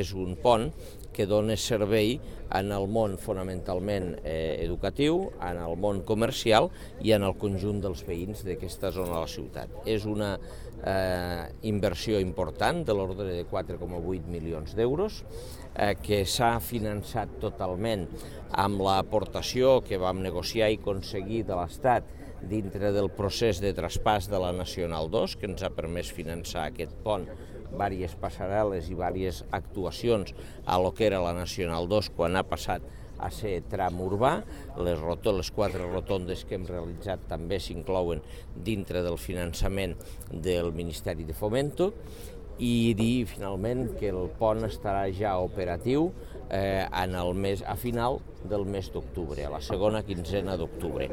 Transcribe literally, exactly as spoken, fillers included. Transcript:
És un pont que dona servei en el món fonamentalment eh, educatiu, en el món comercial i en el conjunt dels veïns d'aquesta zona de la ciutat. És una eh, inversió important de l'ordre de quatre coma vuit milions d'euros eh, que s'ha finançat totalment amb l'aportació que vam negociar i aconseguir de l'Estat dintre del procés de traspàs de la Nacional dos, que ens ha permès finançar aquest pont, diverses passarel·les i diverses actuacions a lo que era la Nacional dos quan ha passat a ser tram urbà. Les, les quatre rotondes que hem realitzat també s'inclouen dintre del finançament del Ministeri de Fomento, i dir finalment que el pont estarà ja operatiu eh, en el mes, a final del mes d'octubre, a la segona quinzena d'octubre.